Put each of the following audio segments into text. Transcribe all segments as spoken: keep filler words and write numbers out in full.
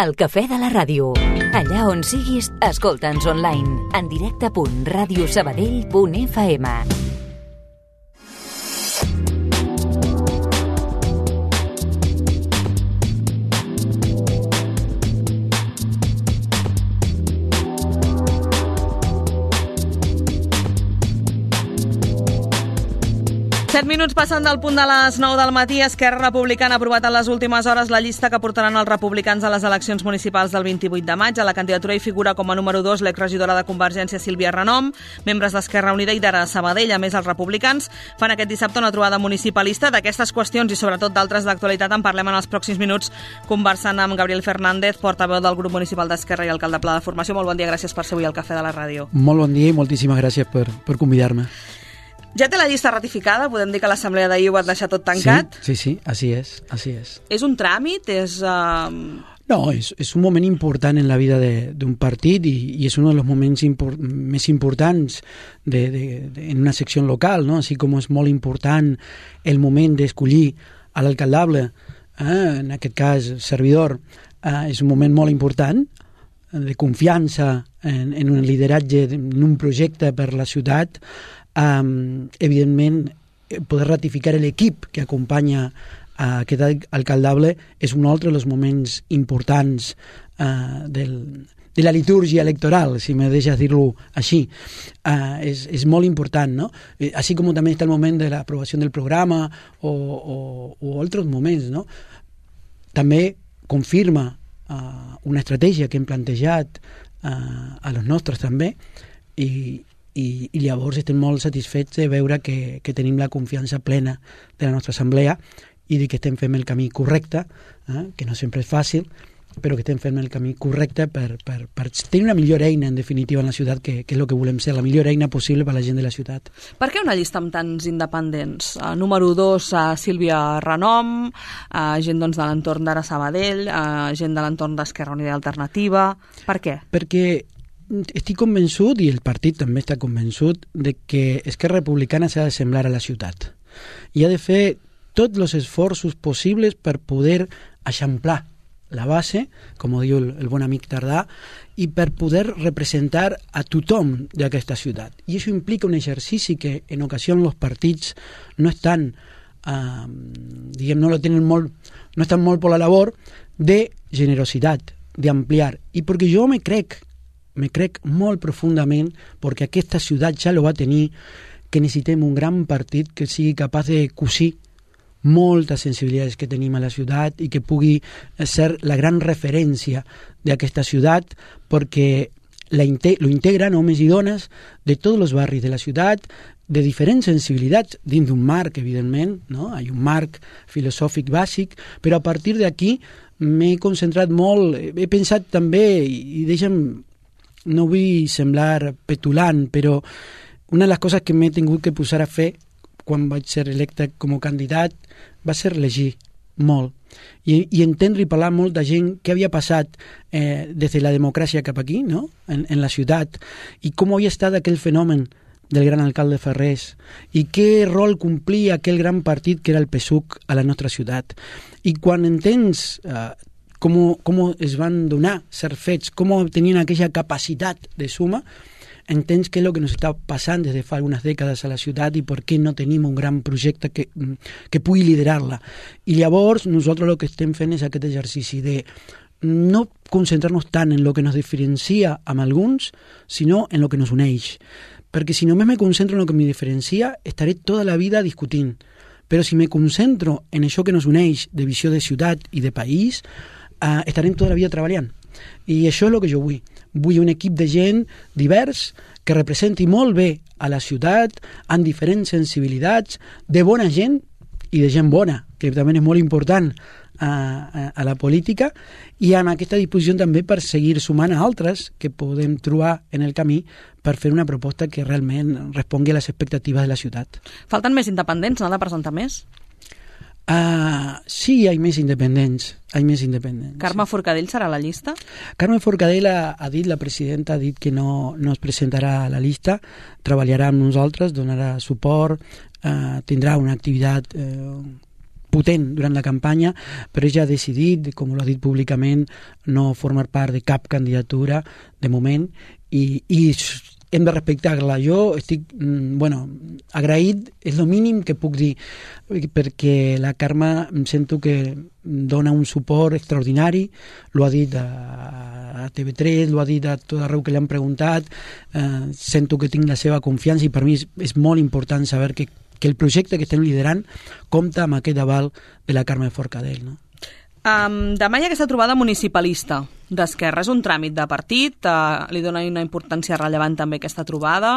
El cafè de la ràdio. Allà on siguis, escolta'ns online. En directe punt ràdio sabadell punt f m. set minuts passant del punt de les nou del matí. Esquerra Republicana ha aprovat en les últimes hores la llista que portaran els republicans a les eleccions municipals del vint-i-vuit de maig. A la candidatura hi figura com a número dos l'exregidora de Convergència Sílvia Renom, membres d'Esquerra Unida i d'Ara Sabadell. A més, els republicans fan aquest dissabte una trobada municipalista. D'aquestes qüestions i sobretot d'altres d'actualitat en parlem en els pròxims minuts conversant amb Gabriel Fernández, portaveu del grup municipal d'Esquerra i alcalde Pla de Formació. Molt bon dia, gràcies per ser avui al Cafè de la Ràdio. Molt bon dia i moltíssimes gràcies per, per convidar-me. Ja té la llista ratificada? Podem dir que l'assemblea d'ahir ho va deixar tot tancat? Sí, sí, sí, així és, així és. És un tràmit? És... Uh... No, és, és un moment important en la vida d'un partit i, i és un dels moments impor més importants de, de, de, en una secció local, no? Així com és molt important el moment d'escollir a l'alcaldable, eh? En aquest cas servidor, eh? és un moment molt important de confiança en, en un lideratge, en un projecte per la ciutat. Um, evidentment, poder ratificar l'equip que acompanya a aquest alcaldable és un altre dels moments importants uh, del, de la litúrgia electoral, si me deixes dir-lo així. Uh, és, és molt important, no? Eh, així com també està el moment de l'aprovació del programa o, o, o altres moments, no? També confirma uh, una estratègia que hem plantejat uh, a los nostres també i I, i llavors estem molt satisfets de veure que, que tenim la confiança plena de la nostra assemblea i de que estem fent el camí correcte, eh? que no sempre és fàcil, però que estem fent el camí correcte per, per, per tenir una millor eina, en definitiva, en la ciutat, que, que és el que volem ser, la millor eina possible per a la gent de la ciutat. Per què una llista amb tants independents? Uh, número dos, uh, Sílvia Renom, uh, gent doncs, de l'entorn d'Ara Sabadell, uh, gent de l'entorn d'Esquerra Unida i Alternativa. Per què? Perquè estic convençut, i el partit també està convençut, de que Esquerra Republicana s'ha de semblar a la ciutat. I ha de fer tots els esforços possibles per poder eixamplar la base, com diu el, el bon amic Tardà, i per poder representar a tothom d'aquesta ciutat. I això implica un exercici que en ocasions els partits no estan, eh, diguem, no lo tenen molt, no estan molt per la labor de generositat, d'ampliar. I perquè jo me crec me crec molt profundament, perquè aquesta ciutat ja lo va tenir, que necessitem un gran partit que sigui capaç de cosir moltes sensibilitats que tenim a la ciutat i que pugui ser la gran referència d'aquesta ciutat, perquè la inte lo integren homes i dones de tots els barris de la ciutat, de diferents sensibilitats, dins d'un marc, evidentment, no? Hi ha un marc filosòfic bàsic, però a partir d'aquí m'he concentrat molt, he pensat també, i deixa'm, no vull semblar petulant, però una de les coses que m'he tingut que posar a fer quan vaig ser electe com a candidat va ser llegir molt i, i entendre i parlar molt de gent que havia passat eh, des de la democràcia cap aquí, no? en, en la ciutat, i com havia estat aquell fenomen del gran alcalde Ferrés i què rol complia aquell gran partit que era el P S U C a la nostra ciutat. I quan entens eh, Com, com es van donar certs fets, com tenien aquella capacitat de suma, entens què és el que ens està passant des de fa algunes dècades a la ciutat i per què no tenim un gran projecte que, que pugui liderar-la. I llavors nosaltres el que estem fent és aquest exercici de no concentrar-nos tant en el que ens diferencia amb alguns, sinó en el que ens uneix. Perquè si només me concentro en el que me diferencia, estaré tota la vida discutint. Però si me concentro en això que ens uneix de visió de ciutat i de país, Uh, estarem tota la vida treballant. I això és el que jo vull. Vull un equip de gent divers que representi molt bé a la ciutat, amb diferents sensibilitats, de bona gent i de gent bona, que també és molt important a, a, a la política, i amb aquesta disposició també per seguir sumant a altres que podem trobar en el camí per fer una proposta que realment respongui a les expectatives de la ciutat. Falten més independents, no?, de presentar més? Uh, sí, hi ha més independents, hi ha més independents. Carme Forcadell serà a la llista? Carme Forcadell ha, ha dit, la presidenta ha dit que no, no es presentarà a la llista, treballarà amb nosaltres, donarà suport, uh, tindrà una activitat uh, potent durant la campanya, però ella ha decidit, com l'ha dit públicament, no formar part de cap candidatura de moment, i, i hem de respectar-la. Jo estic, bueno, agraït, és el mínim que puc dir, perquè la Carme em sento que dona un suport extraordinari, l'ho ha dit a, a T V tres, l'ho ha dit a tot arreu que li han preguntat, eh, sento que tinc la seva confiança i per mi és, és molt important saber que, que el projecte que estem liderant compta amb aquest aval de la Carme Forcadell, no? Um, demà hi ha aquesta trobada municipalista d'Esquerra. És un tràmit de partit? Uh, li dona una importància rellevant també aquesta trobada?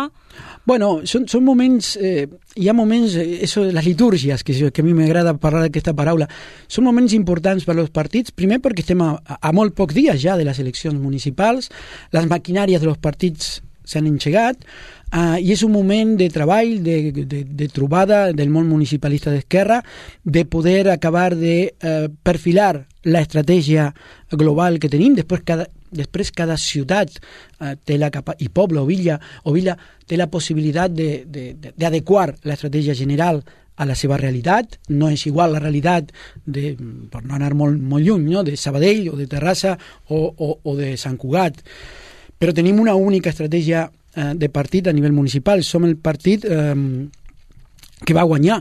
Bueno, són, són moments, eh, hi ha moments, eh, eso de les litúrgies, que, que a mi m'agrada parlar d'aquesta paraula, són moments importants per als partits, primer perquè estem a, a molt pocs dies ja de les eleccions municipals, les maquinàries dels partits s'han engegat, uh, i és un moment de treball, de, de, de trobada del món municipalista d'Esquerra, de poder acabar de uh, perfilar la estratègia global que tenim. Després cada, després cada ciutat uh, té la capa i poble o villa, o villa té la possibilitat d'adequar l'estratègia general a la seva realitat. No és igual la realitat de, per no anar molt, molt lluny, no? De Sabadell o de Terrassa o, o, o de Sant Cugat. Però tenim una única estratègia eh, de partit a nivell municipal. Som el partit eh, que va guanyar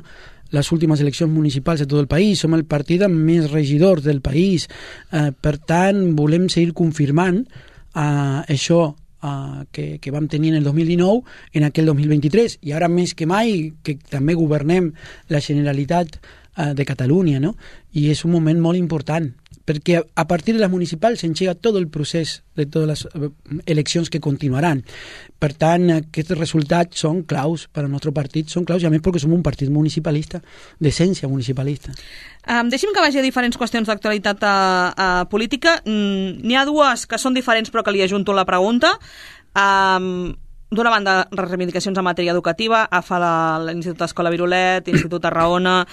les últimes eleccions municipals de tot el país, som el partit amb més regidors del país. Eh, per tant, volem seguir confirmant eh, això eh, que, que vam tenir en el dos mil dinou en aquell dos mil vint-i-tres. I ara més que mai, que també governem la Generalitat eh, de Catalunya, no? I és un moment molt important, perquè a partir de les municipals s'engega tot el procés de totes les eleccions que continuaran. Per tant, aquests resultats són claus per al nostre partit, són claus, i a més perquè som un partit municipalista, d'essència municipalista. Um, deixi'm que vagi a diferents qüestions d'actualitat a, a política. Mm, n'hi ha dues que són diferents però que li ajunto la pregunta. Um, D'una banda, les reivindicacions en matèria educativa, A F A, l'Institut Escola Virolet, Institut Tarragona,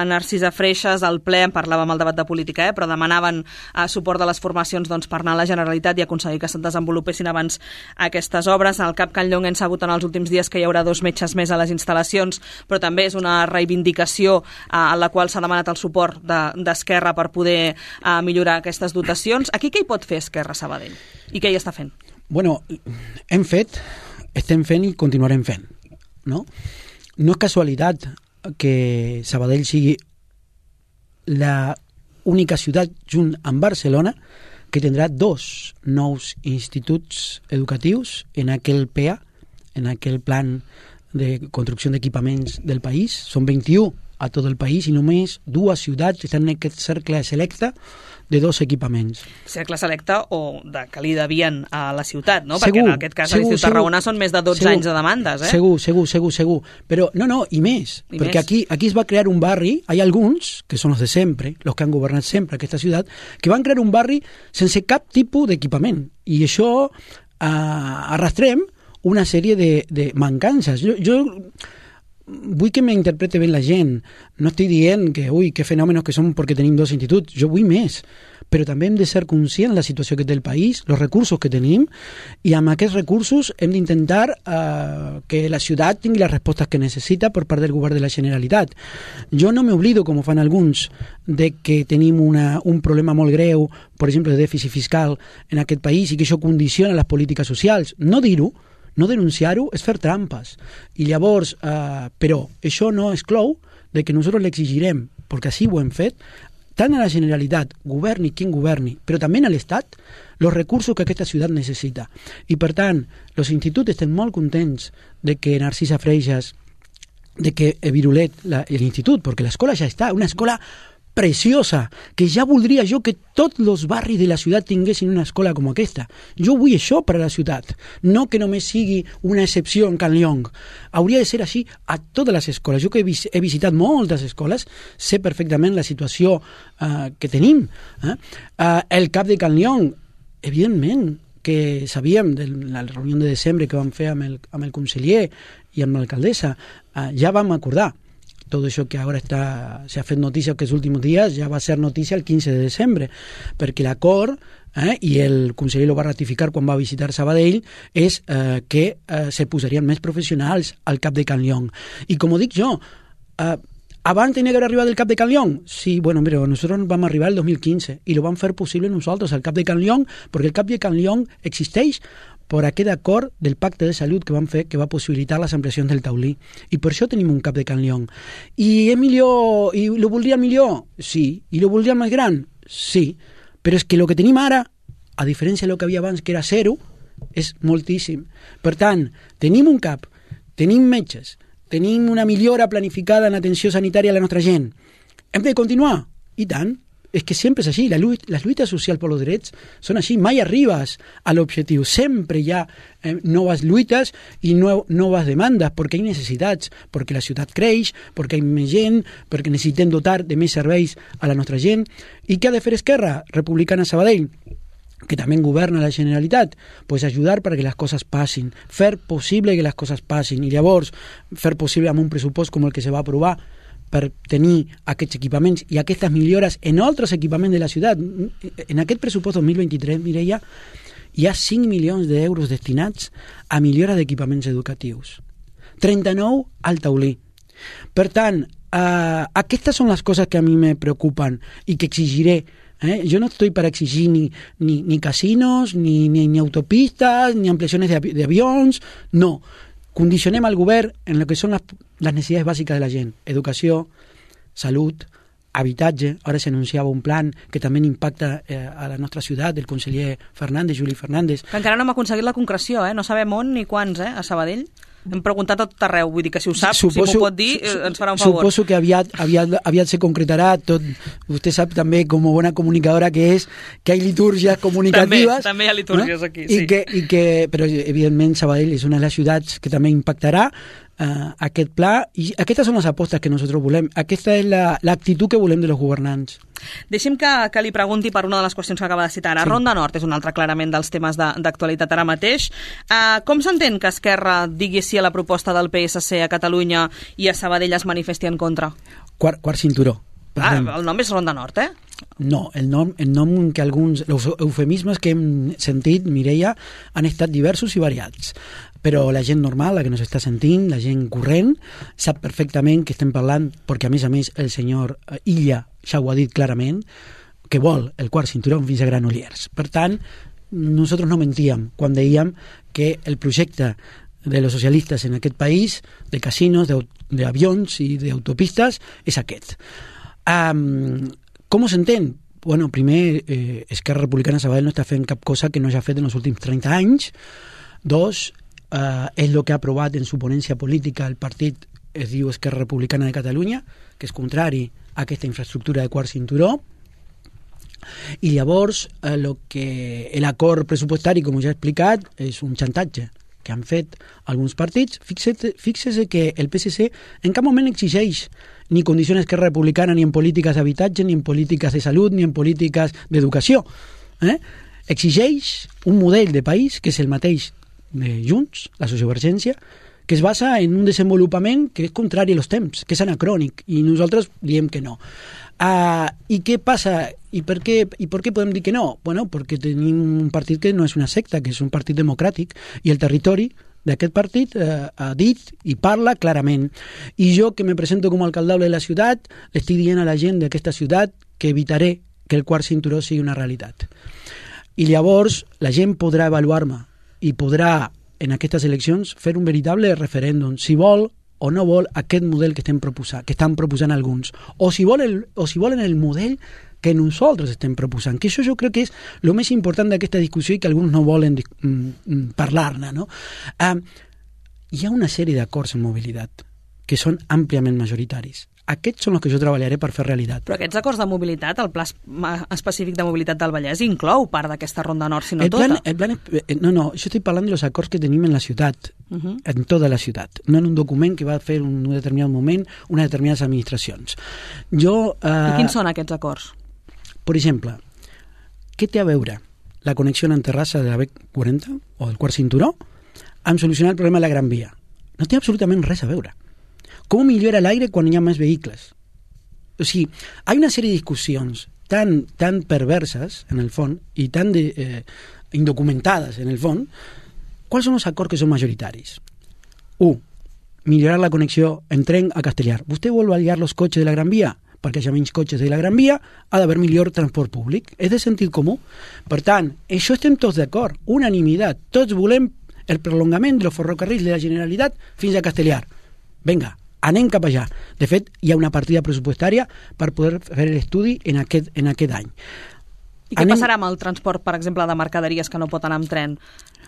Narcisa Freixas, al ple, en parlàvem al debat de política, eh, però demanaven eh, suport de les formacions doncs, per anar a la Generalitat i aconseguir que se'n desenvolupessin abans aquestes obres. Al Cap Can Llong hem sabut en els últims dies que hi haurà dos metges més a les instal·lacions, però també és una reivindicació eh, en la qual s'ha demanat el suport d'Esquerra de, per poder eh, millorar aquestes dotacions. Aquí què hi pot fer Esquerra Sabadell? I què hi està fent? Bueno, hem fet... estem fent i continuarem fent, no? No és casualitat que Sabadell sigui la única ciutat junt amb Barcelona que tindrà dos nous instituts educatius en aquell P E A, en aquell plan de construcció d'equipaments del país. Són vint-i-u a tot el país i només dues ciutats estan en aquest cercle selecte de dos equipaments. Cercle selecte o de que li devien a la ciutat, no? Segur, perquè en aquest cas a l'Institut Tarragona són més de dotze segur, anys de demandes, eh? Segur, segur, segur, segur. Però no, no, i més, I perquè més. Aquí, aquí es va crear un barri, hi ha alguns, que són els de sempre, els que han governat sempre aquesta ciutat, que van crear un barri sense cap tipus d'equipament. I això eh, arrastrem una sèrie de, de mancances. Jo... jo vull que m'interprete bé la gent. No estic dient que, ui, que fenòmenos que són perquè tenim dos instituts. Jo vull més. Però també hem de ser conscients de la situació que té el país, els recursos que tenim, i amb aquests recursos hem d'intentar eh, que la ciutat tingui les respostes que necessita per part del govern de la Generalitat. Jo no m'oblido, com ho fan alguns, de que tenim una, un problema molt greu, per exemple, de dèficit fiscal en aquest país, i que això condiciona les polítiques socials. No dir-ho, no denunciar-ho és fer trampes. I llavors, eh, però això no exclou de que nosaltres l'exigirem, perquè així ho hem fet, tant a la Generalitat, governi quin governi, però també a l'Estat, els recursos que aquesta ciutat necessita. I per tant, els instituts estem molt contents de que Narcisa Freixas, de que Virolet, l'institut, perquè l'escola ja està, una escola preciosa, que ja voldria jo que tots els barris de la ciutat tinguessin una escola com aquesta. Jo vull això per a la ciutat, no que només sigui una excepció en Can Llong. Hauria de ser així a totes les escoles. Jo que he visitat moltes escoles, sé perfectament la situació eh, que tenim. Eh? Eh, el Cap de Can Llong, evidentment, que sabíem de la reunió de desembre que vam fer amb el, amb el conseller i amb l'alcaldessa, eh, ja vam acordar tot això que ara està, s'ha fet notícia aquests últims dies, ja va ser notícia el quinze de desembre, perquè l'acord, eh, i el conseller lo va ratificar quan va visitar Sabadell, és eh, que eh, se posarien més professionals al Cap de Can Llong. I com ho dic jo, eh, Abans tenia que haver arribat el Cap de Can León. Sí, bueno, mira, nosotros vam arribar el dos mil quince i lo vam fer possible nosaltres, el Cap de Can León, perquè el Cap de Can León existeix per aquest acord del pacte de salut que vam fer, que va possibilitar les ampliacions del taulí. I per això tenim un Cap de Can León. I és millor, i lo voldria millor? Sí. I lo voldria més gran? Sí. Però és que el que tenim ara, a diferència del que havia abans, que era zero, és moltíssim. Per tant, tenim un CAP, tenim metges, tenim una millora planificada en atenció sanitària a la nostra gent. Hem de continuar? I tant. És que sempre és així. La lluita, les lluites socials per els drets són així. Mai arribes a l'objectiu. Sempre hi ha eh, noves lluites i no, noves demandes, perquè hi ha necessitats, perquè la ciutat creix, perquè hi ha més gent, perquè necessitem dotar de més serveis a la nostra gent. I què ha de fer Esquerra Republicana Sabadell, que també governa la Generalitat? Pues ajudar perquè les coses passin, fer possible que les coses passin, i llavors fer possible amb un pressupost com el que se va aprovar per tenir aquests equipaments i aquestes millores en altres equipaments de la ciutat. En aquest pressupost dos mil vint-i-tres, Mireia, hi ha cinc milions d'euros destinats a millora d'equipaments educatius. trenta-nou al taulí. Per tant, eh, aquestes són les coses que a mi me preocupen i que exigiré. Eh? Jo no estoy para exigir ni, ni, ni casinos, ni, ni, ni autopistas, ni ampliaciones de, avi de avions, no. Condicionem al govern en el que són les, les necessitats bàsiques de la gent. Educació, salut, habitatge. Ara s'anunciava un plan que també impacta eh, a la nostra ciutat, del conseller Fernández, Juli Fernández. Que encara no hem aconseguit la concreció, eh? No sabem on ni quants, eh? A Sabadell. Hem preguntat a tot arreu, vull dir que si ho sap, suposo, si m'ho pot dir, ens farà un favor. Suposo que aviat, aviat, aviat se concretarà tot. Vostè sap també, com a bona comunicadora que és, que hi ha litúrgies comunicatives. També, també hi ha litúrgies, no? Aquí, sí. I que, i que, però, evidentment, Sabadell és una de les ciutats que també impactarà uh, aquest pla, i aquestes són les apostes que nosaltres volem. Aquesta és l'actitud la, que volem de los governants. Deixi'm que, que li pregunti per una de les qüestions que acaba de citar ara. Sí. Ronda Nord és un altre clarament dels temes d'actualitat ara mateix. Uh, com s'entén que Esquerra digui sí a la proposta del P S C a Catalunya i a Sabadell es manifesti en contra? Quart, quart cinturó. Ah, el nom és Ronda Nord, eh? No, el nom, el nom que alguns els eufemismes que hem sentit, Mireia, han estat diversos i variats. Però la gent normal, la que nos està sentint, la gent corrent, sap perfectament que estem parlant, perquè a més a més el senyor Illa ja ho ha dit clarament, que vol el quart cinturó fins a Granollers. Per tant, nosaltres no mentíem quan dèiem que el projecte de los socialistes en aquest país, de casinos, d'avions i d'autopistes, és aquest. Um, com s'entén? Bueno, primer, eh, Esquerra Republicana Sabadell no està fent cap cosa que no hagi fet en els últims trenta anys. Dos, Uh, és el que ha aprovat en su ponència política el partit, es diu Esquerra Republicana de Catalunya, que és contrari a aquesta infraestructura de quart cinturó. I llavors uh, lo que l'acord pressupostari, com ja he explicat, és un xantatge que han fet alguns partits. Fixeu-se que el P S C en cap moment exigeix ni condicions Esquerra Republicana ni en polítiques d'habitatge, ni en polítiques de salut, ni en polítiques d'educació. Eh? Exigeix un model de país que és el mateix de Junts, la sociovergència, que es basa en un desenvolupament que és contrari als temps, que és anacrònic, i nosaltres diem que no. Uh, I què passa? I per què, I per què podem dir que no? Bueno, perquè tenim un partit que no és una secta, que és un partit democràtic, i el territori d'aquest partit eh, ha dit i parla clarament. I jo, que me presento com a alcaldable de la ciutat, estic dient a la gent d'aquesta ciutat que evitaré que el quart cinturó sigui una realitat. I llavors la gent podrà avaluar-me i podrà, en aquestes eleccions, fer un veritable referèndum, si vol o no vol aquest model que estem proposant, que estan proposant alguns, o si, vol el, o si volen el model que nosaltres estem proposant, que això jo crec que és el més important d'aquesta discussió i que alguns no volen mm, parlar-ne, no? Uh, hi ha una sèrie d'acords en mobilitat que són àmpliament majoritaris. Aquests són els que jo treballaré per fer realitat. Però aquests acords de mobilitat, el pla específic de mobilitat del Vallès, inclou part d'aquesta Ronda Nord, si no el plan, tota? El plan, no, no, jo estic parlant dels acords que tenim en la ciutat, uh-huh. en tota la ciutat, no en un document que va fer en un determinat moment unes determinades administracions. Jo, uh, I quins són aquests acords? Per exemple, què té a veure la connexió en Terrassa de la B quaranta o del quart cinturó amb solucionar el problema de la Gran Via? No té absolutament res a veure. Com millora l'aire quan hi ha més vehicles? O sigui, hi ha una sèrie de discussions tan, tan perverses, en el fons, i tan de, eh, indocumentades, en el fons. Quals són els acords que són majoritaris? Un, millorar la connexió en tren a Castellar. Vostè vol aliar els cotxes de la Gran Via? Perquè hi ha menys cotxes de la Gran Via, ha d'haver millor transport públic. És de sentit comú. Per tant, això estem tots d'acord. Unanimitat. Tots volem el prolongament dels ferrocarrils de la Generalitat fins a Castellar. Vinga, anem cap allà. De fet, hi ha una partida pressupostària per poder fer l'estudi en aquest, en aquest any. I què anem... passarà amb el transport, per exemple, de mercaderies que no pot anar amb tren?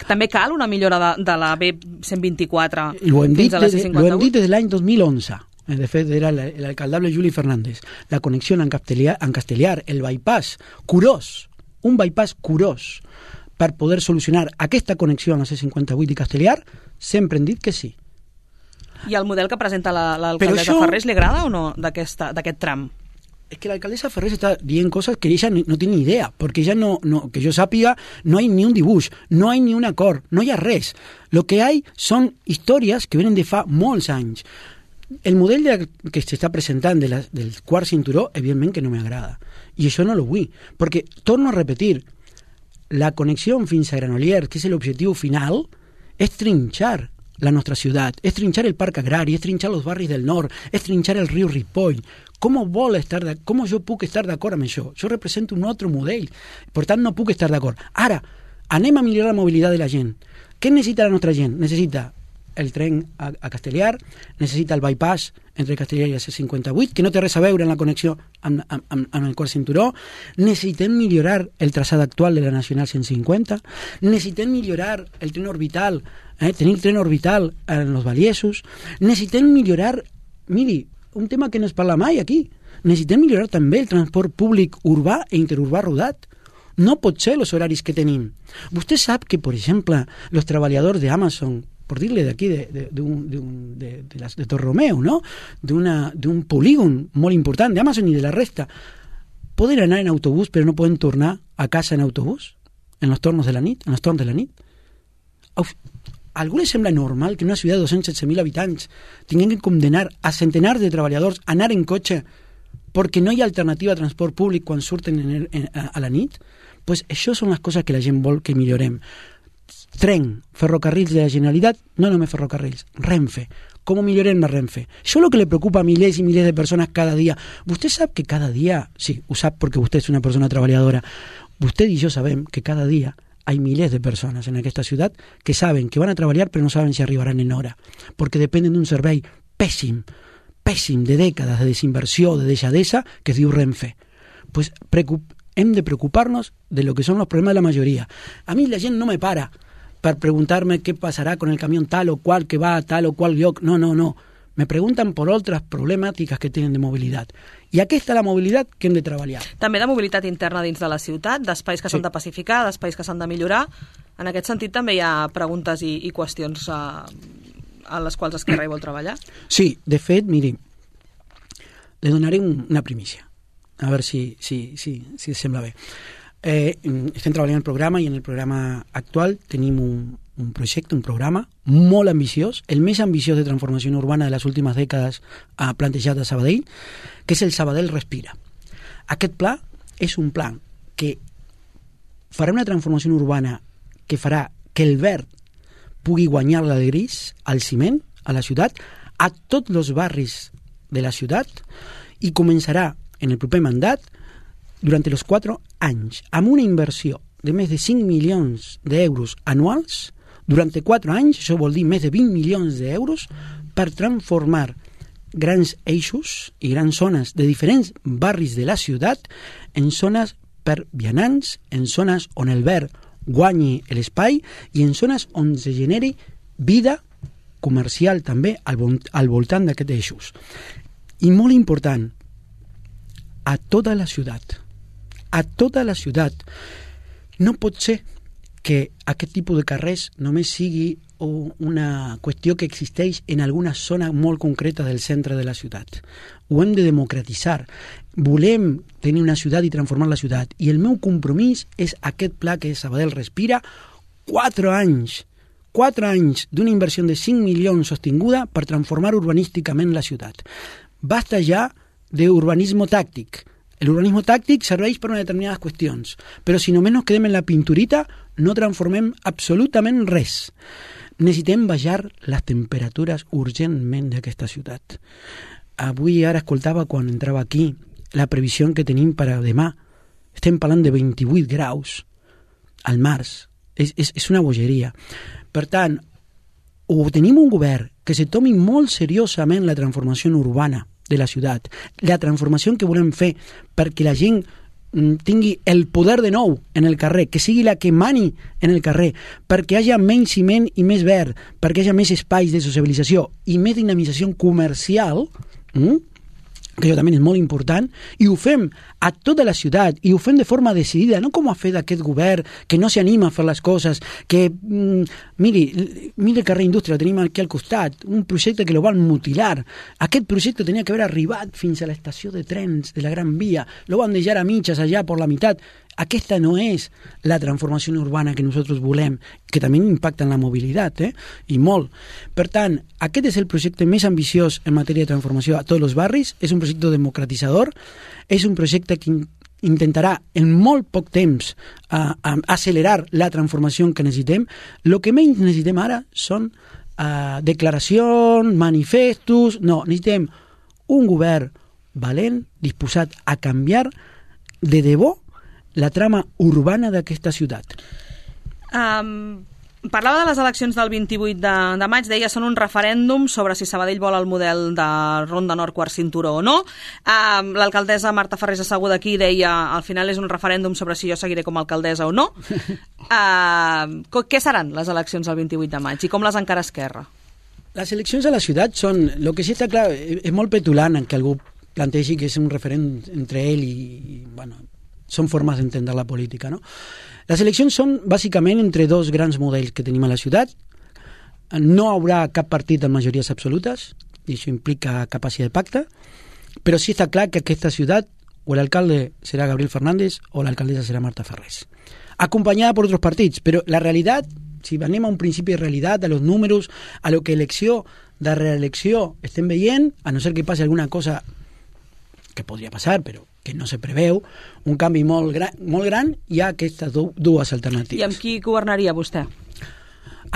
També cal una millora de, de la B cent vint-i-quatre fins a la C cinquanta-vuit? Ho hem dit des de l'any dos mil onze. De fet, era l'alcaldable Juli Fernández. La connexió en Castellar, en Castellar, el bypass curós, un bypass curós, per poder solucionar aquesta connexió amb la C cinquanta-vuit i Castellar, sempre hem dit que sí. I el model que presenta l'alcaldessa això... Ferrés li agrada o no d'aquest tram? Es que la alcaldesa Ferrés está diciendo cosas que ella no tiene ni idea, porque ella no, no, que yo sàpiga, no hay ni un dibuix, no hay ni un acord, no hi ha res. Lo que hay son històries que venen de fa molts anys. El model de, que s'està presentant de la, del quart cinturó, evidentment que no m'agrada. I això no lo vull, perquè, torno a repetir, la connexió fins a Granollers, que és l'objectiu final, és trinxar la nostra ciutat, és trinxar el parc agrari, és trinxar els barris del nord, és trinxar el riu Ripoll. Com vol estar de, com jo puc estar d'acord amb això? Jo represento un altre model, per tant no puc estar d'acord. Ara, anem a millorar la mobilitat de la gent. Què necessita la nostra gent? Necessita el tren a, a Castellar, necessita el bypass entre Castellar i la C cinquanta-vuit, que no té res a veure en la connexió amb, amb, amb, amb el quart cinturó. Necessitem millorar el traçat actual de la Nacional cent cinquanta, necessitem millorar el tren orbital, eh, tenir el tren orbital en els Valiesos, necessitem millorar, miri, un tema que no es parla mai aquí, necessitem millorar també el transport públic urbà e interurbà rodat. No pot ser els horaris que tenim. Vostè sap que, per exemple, els treballadors d'Amazon, por dirle de aquí, de, de, de, un, de, un, de, de, las, de Torromeo, ¿no? De, una, de un polígon molt important d'Amazon i de la resta, poden anar en autobús però no poden tornar a casa en autobús en els tornos de la nit, en els torns de la nit. A algú li sembla normal que en una ciutat de dos-cents setze mil habitants tinguin que condenar a centenars de treballadors a anar en cotxe perquè no hi ha alternativa a transport públic quan surten en, en, a la nit? Pues això són les coses que la gent vol que millorem. Tren, ferrocarrils de la Generalitat, no només ferrocarrils, Renfe. Com millorem la Renfe? Això és el que li preocupa a milers i milers de persones cada dia. Vostè sap que cada dia, sí, ho sap perquè vostè és una persona treballadora, vostè i jo sabem que cada dia hay miles de personas en aquesta ciutat que saben que van a treballar però no saben si arribaran en hora, perquè dependen d'un servei pèssim, pèssim de dècades de desinversió, de deixadesa, que es diu Renfe. Pues preocup hem de preocupar-nos de lo que son los problemas de la mayoría. A mí la gent no me para per preguntar-me què passarà con el camión tal o qual que va a tal o qual lloc. No, no, no. Me preguntan por otras problemàtiques que tenen de mobilitat. I aquesta és la mobilitat que hem de treballar. També de mobilitat interna dins de la ciutat, d'espais que s'han sí. de pacificar, d'espais que s'han de millorar. En aquest sentit també hi ha preguntes i, i qüestions a, a les quals Esquerra hi vol treballar? Sí, de fet, miri, le donaré un, una primícia. A veure si, si, si, si sembla bé. Eh, estem treballant en el programa i en el programa actual tenim un, un projecte, un programa molt ambiciós, el més ambiciós de transformació urbana de les últimes dècades ha plantejat a Sabadell, que és el Sabadell Respira. Aquest pla és un pla que farà una transformació urbana que farà que el verd pugui guanyar el gris al ciment, a la ciutat, a tots els barris de la ciutat, i començarà en el proper mandat durant els quatre anys, amb una inversió de més de cinc milions d'euros anuals, durant quatre anys, això vol dir més de vint milions d'euros, per transformar grans eixos i grans zones de diferents barris de la ciutat en zones per vianants, en zones on el verd guanyi l'espai i en zones on se generi vida comercial també al, al voltant d'aquests eixos. I molt important, a tota la ciutat, a tota la ciutat, no pot ser que aquest tipus de carrers només sigui una qüestió que existeix en alguna zona molt concreta del centre de la ciutat. Ho hem de democratitzar. Volem tenir una ciutat i transformar la ciutat. I el meu compromís és aquest pla que Sabadell Respira, quatre anys, quatre anys d'una inversió de cinc milions sostinguda per transformar urbanísticament la ciutat. Basta ja d'urbanisme tàctic. L'urbanisme tàctic serveix per a determinades qüestions, però si només nos quedem en la pinturita, no transformem absolutament res. necessitem baixar les temperatures urgentment d'aquesta ciutat. Avui ara escoltava quan entrava aquí la previsió que tenim per a demà. Estem parlant de vint-i-vuit graus al març. És, és, és una bogeria. Per tant, o tenim un govern que se tomi molt seriosament la transformació urbana de la ciutat, la transformació que volem fer perquè la gent tingui el poder de nou en el carrer, que sigui la que mani en el carrer, perquè hi hagi menys ciment i més verd, perquè hi hagi més espais de socialització i més dinamització comercial, mm? que això també és molt important, i ho fem a tota la ciutat, i ho fem de forma decidida, no com ha fet aquest govern, que no s'anima a fer les coses, que, mm, miri, miri el carrer Indústria, el tenim aquí al costat, un projecte que lo van mutilar. Aquest projecte tenia que haver arribat fins a l'estació de trens de la Gran Via, lo van deixar a mitges allà per la meitat. Aquesta no és la transformació urbana que nosaltres volem, que també impacta en la mobilitat, eh? I molt. Per tant, aquest és el projecte més ambiciós en matèria de transformació a tots els barris, és un projecte democratitzador, és un projecte que intentarà en molt poc temps uh, uh, accelerar la transformació que necessitem. El que menys necessitem ara són uh, declaracions, manifestos. No, necessitem un govern valent, disposat a canviar de debò la trama urbana d'aquesta ciutat. Um, parlava de les eleccions del vint-i-vuit de, de maig, deia són un referèndum sobre si Sabadell vol el model de Ronda Nord quart cinturó o no. Um, l'alcaldessa Marta Ferrés asseguda aquí deia al final és un referèndum sobre si jo seguiré com a alcaldessa o no. Uh, què seran les eleccions del vint-i-vuit de maig i com les encara Esquerra? Les eleccions a la ciutat són, el que sí està clar, és molt petulant en que algú plantegi que és un referèndum entre ell i, i bueno, són formes d'entendre la política, no? Les eleccions són bàsicament entre dos grans models que tenim a la ciutat. No hi haurà cap partit amb majories absolutes, i això implica capacitat de pacte, però sí està clar que aquesta ciutat o l'alcalde serà Gabriel Fernández o l'alcaldessa serà Marta Ferrés, acompanyada per altres partits, però la realitat, si anem a un principi de realitat, a los números, a lo que elecció de reelecció estem veient, a no ser que passi alguna cosa que podria passar, però que no se preveu, un canvi molt gran, molt gran, hi ha aquestes du dues alternatives. I amb qui governaria vostè?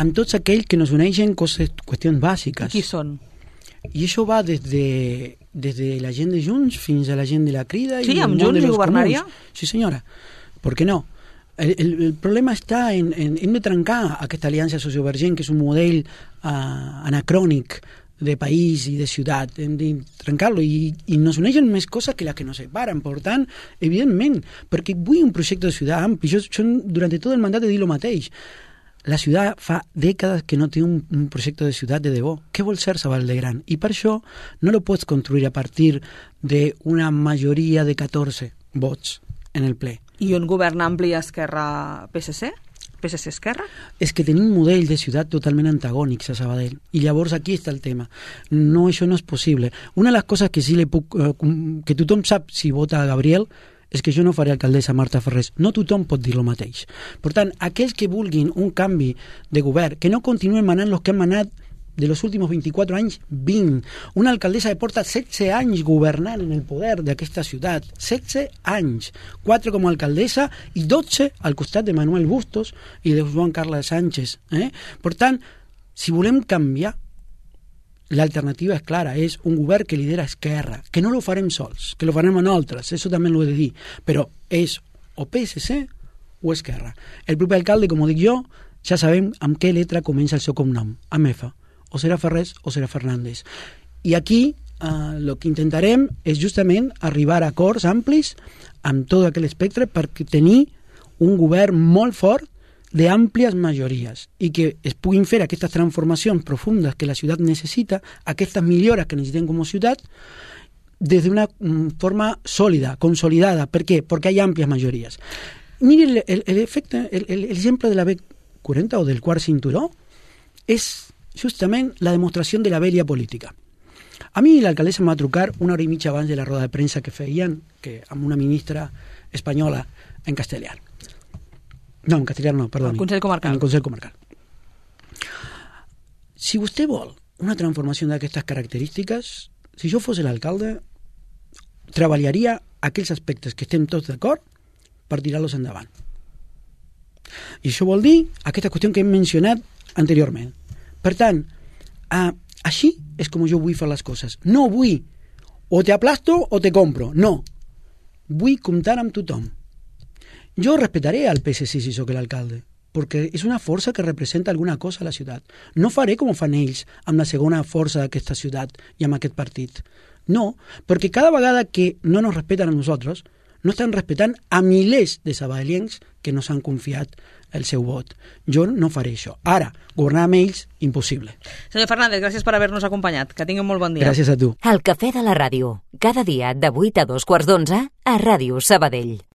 Amb tots aquells que nos uneixen coses, qüestions bàsiques. I qui són? I això va des de, des de la gent de Junts fins a la gent de la Crida. Sí, i amb Junts hi governaria? Comuns. Sí, senyora. ¿Por qué no? El, el, el problema està en, en, en de trencar aquesta aliança sociovergent, que és un model uh, anacrònic de país i de ciutat, hem de trencar-lo i, i nos uneixen més coses que les que nos separen. Per tant, evidentment, perquè vull un projecte de ciutat ampli. Jo, jo durant tot el mandat he dit el mateix. La ciutat fa dècades que no té un, un projecte de ciutat de debò. Què vol ser Sabadell de gran? I per això no lo pots construir a partir d'una majoria de catorze vots en el ple. I un govern ampli Esquerra-P S C? P S C-Esquerra? És que tenim un model de ciutat totalment antagònics a Sabadell. I llavors aquí està el tema. No, això no és possible. Una de les coses que sí le puc, eh, que tothom sap si vota a Gabriel és que jo no faré alcaldessa Marta Ferrés. No tothom pot dir el mateix. Per tant, aquells que vulguin un canvi de govern, que no continuen manant els que han manat de los últimos veinticuatro anys, vint. Una alcaldessa que porta setze anys governant en el poder d'aquesta ciutat. setze anys. quatre com a alcaldessa i dotze al costat de Manuel Bustos i de Joan Carles Sánchez. Eh? Per tant, si volem canviar, l'alternativa és clara, és un govern que lidera Esquerra, que no lo farem sols, que lo farem nosaltres, això també l'ho he de dir, però és o P S C o Esquerra. El proper alcalde, com ho dic jo, ja sabem amb què letra comença el seu cognom, amb F. O serà Ferrés o serà Fernández. I aquí el eh, que intentarem és justament arribar a acords amplis amb tot aquell espectre per tenir un govern molt fort d'àmplies majories i que es puguin fer aquestes transformacions profundes que la ciutat necessita, aquestes millores que necessitem com a ciutat, des d'una forma sòlida, consolidada. Per què? Perquè hi ha àmplies majories. Miri l'efecte, l'exemple de la B quaranta o del quart cinturó és justament la demostració de la vella política. A mi l'alcaldessa em va trucar una hora i mitja abans de la roda de premsa que feien que amb una ministra espanyola en castellà. No, en castellà no, perdoni. El Consell Comarcal. En el Consell Comarcal. Si vostè vol una transformació d'aquestes característiques, si jo fos l'alcalde, treballaria aquells aspectes que estem tots d'acord per tirar-los endavant. I això vol dir aquesta qüestió que hem mencionat anteriorment. Per tant, uh, així és com jo vull fer les coses. No vull o te aplasto o te compro. No. Vull comptar amb tothom. Jo respetaré al P S C si sóc l'alcalde, perquè és una força que representa alguna cosa a la ciutat. No faré com fan ells amb la segona força d'aquesta ciutat i amb aquest partit. No, perquè cada vegada que no nos respeten a nosaltres, no estan respetant a milers de sabadellencs que nos han confiat el seu vot. Jo no faré això. Ara, governar amb ells, impossible. Senyor Fernández, gràcies per haver-nos acompanyat. Que tingui un molt bon dia. Gràcies a tu. El Cafè de la Ràdio, cada dia de vuit a dos quarts d'onze a Ràdio Sabadell.